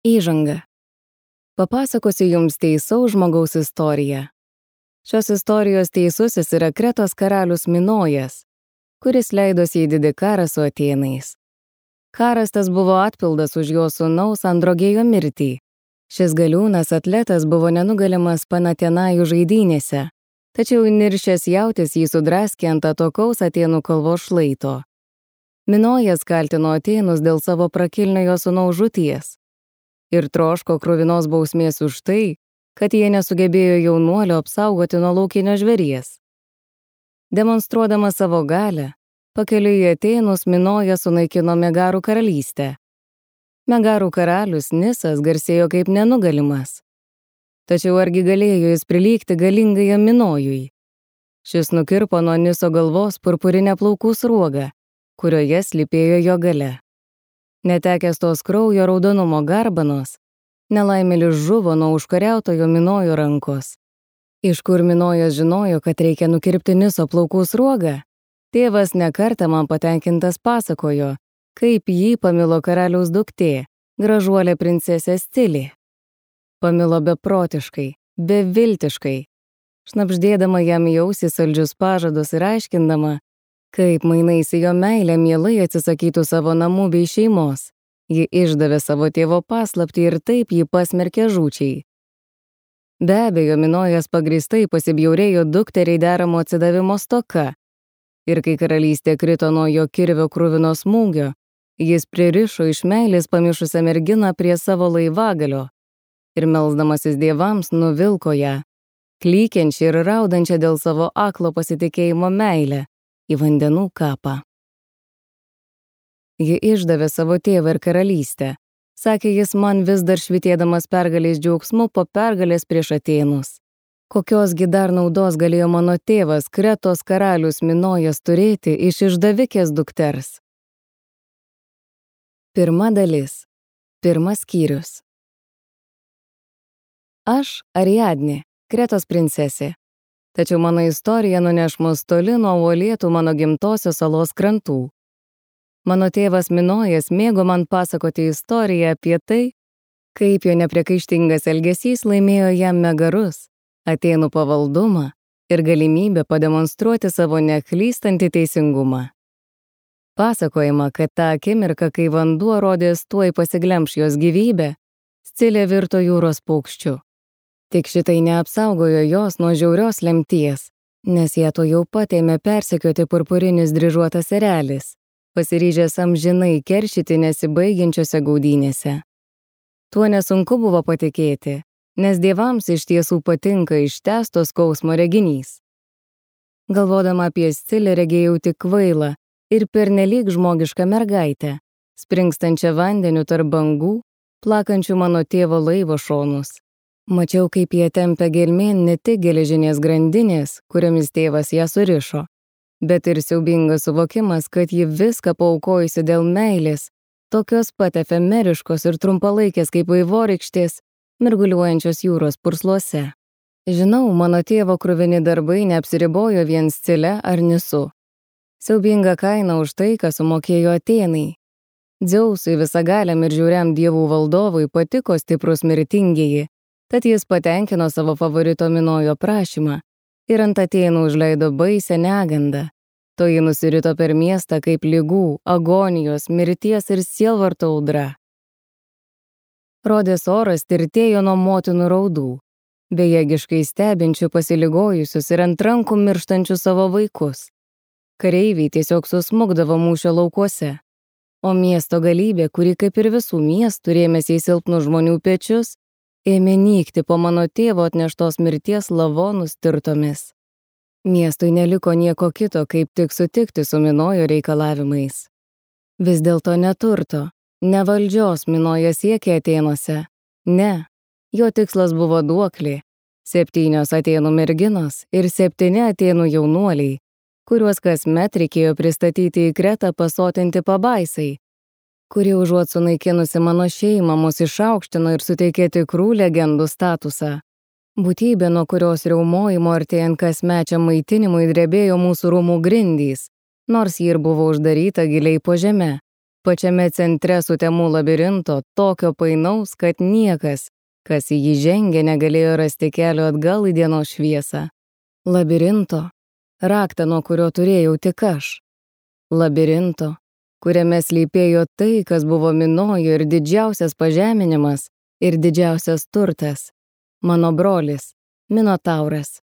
Įžanga. Papasakosiu jums teisaus žmogaus istoriją. Šios istorijos teisusis yra Kretos karalius Minojas, kuris leidosi į didį karą su Atėnais. Karas tas buvo atpildas už jo sūnaus Androgėjo mirtį. Šis galiūnas atletas buvo nenugalimas Panatenajų žaidynėse, tačiau niršęs jautis jį sudraskė ant atokaus Atėnų kalvos šlaito. Minojas kaltino Atėnus dėl savo prakilniojo sūnaus žūties ir troško kruvinos bausmės už tai, kad jie nesugebėjo jaunuolio apsaugoti nuo laukinio žvėries. Demonstruodamas savo galią, pakeliui į Atėnus Minojas sunaikino Megarų karalystę. Megarų karalius Nisas garsėjo kaip nenugalimas. Tačiau argi galėjo jis prilygti galingajam Minojui? Šis nukirpo nuo Niso galvos purpurinę plaukų sruogą, kurioje slypėjo jo gale. Netekęs tos kraujo raudonumo garbanos, nelaimėlis žuvo nuo užkariautojo Minojo rankos. Iš kur Minojas žinojo, kad reikia nukirpti Niso plaukų sruogą? Tėvas nekartą man patenkintas pasakojo, kaip jį pamilo karaliaus duktė, gražuolė princesė Scilė. Pamilo beprotiškai, beviltiškai, šnabždėdama jam į ausį saldžius pažadus ir aiškindama, kaip mainais į jo meilę mielai atsisakytų savo namų bei šeimos. Ji išdavė savo tėvo paslaptį ir taip jį pasmerkė žūčiai. Be abejo, Minojas pagrįstai pasibjaurėjo dukteriai deramo atsidavimo stoka. Ir kai karalystė krito nuo jo kirvio kruvino smūgio, jis pririšo iš meilės pamišusią merginą prie savo laivagalio ir melsdamasis dievams nuvilko ją, klykiančią ir raudančią dėl savo aklo pasitikėjimo meilę, į vandenų kapą. Ji išdavė savo tėvą ir karalystę, sakė jis man vis dar švytėdamas pergalės džiaugsmu po pergalės prieš Atėnus. Kokiosgi dar naudos galėjo mano tėvas, Kretos karalius Minojas, turėti iš išdavikės dukters? Pirma dalis. Pirmas skyrius. Aš Ariadnė, Kretos princesė. Tačiau mano istorija nuneš mus toli nuo uolėtų mano gimtosios salos krantų. Mano tėvas Minojas mėgo man pasakoti istoriją apie tai, kaip jo nepriekaištingas elgesys laimėjo jam Megarus, Atėnų pavaldumą ir galimybę pademonstruoti savo neklystantį teisingumą. Pasakojama, kad tą akimirką, kai vanduo rodės tuoj pasiglemš jos gyvybę, Scilė virto jūros paukščiu. Tik šitai neapsaugojo jos nuo žiaurios lemties, nes ją to jau pat ėmė persekioti purpurinis dryžuotas erelis, pasiryžęs amžinai keršyti nesibaigiančiose gaudynėse. Tuo nesunku buvo patikėti, nes dievams iš tiesų patinka ištęsto skausmo reginys. Galvodama apie Scilę regėjau tik kvailą ir pernelyg žmogišką mergaitę, springstančią vandeniu tarp bangų, plakančių mano tėvo laivo šonus. Mačiau, kaip jie tempia gelmėn ne tik geležinės grandinės, kuriomis tėvas ją surišo, bet ir siaubingas suvokimas, kad ji viską paaukojusi dėl meilės, tokios pat efemeriškos ir trumpalaikės kaip vaivorykštės, mirguliuojančios jūros pursluose. Žinau, mano tėvo kruvini darbai neapsiribojo vien Scile ar Nisu. Siaubinga kaina už tai, ką sumokėjo Atėnai. Dzeusui visagaliam ir žiauriam dievų valdovui patiko stiprus mirtingieji, tad jis patenkino savo favorito Minojo prašymą ir ant Atėnų užleido baisią negandą. Toji nusirito per miestą kaip ligų, agonijos, mirties ir sielvarto audra. Rodės oras tirtėjo nuo motinų raudų, bejėgiškai stebinčių pasiligojusius ir ant rankų mirštančių savo vaikus. Kareiviai tiesiog susmukdavo mūšio laukuose, o miesto galybė, kuri kaip ir visų miestų rėmėsi į silpnų žmonių pečius, ėmė nykti po mano tėvo atneštos mirties lavonų stirtomis. Miestui neliko nieko kito, kaip tik sutikti su Minojo reikalavimais. Vis dėlto neturto, ne valdžios Minojas siekė Atėnuose. Ne, jo tikslas buvo duoklė, 7 Atėnų merginos ir 7 Atėnų jaunuoliai, kuriuos kasmet reikėjo pristatyti į Kretą pasotinti pabaisai, kuri užuot sunaikinusi mano šeimą mus išaukštino ir suteikė tikrų legendų statusą. Būtybė, nuo kurios riaumojimo artėjant kasmečiam maitinimui drebėjo mūsų rūmų grindys, nors ji ir buvo uždaryta giliai po žeme, Pačiame centre sutemų labirinto, tokio painaus, kad niekas, kas į jį žengė, negalėjo rasti kelio atgal į dienos šviesą. Labirinto, raktą, nuo kurio turėjau tik aš. Labirinto, kuriame slypėjo tai, kas buvo Minojo ir didžiausias pažeminimas, ir didžiausias turtas. Mano brolis, Minotauras.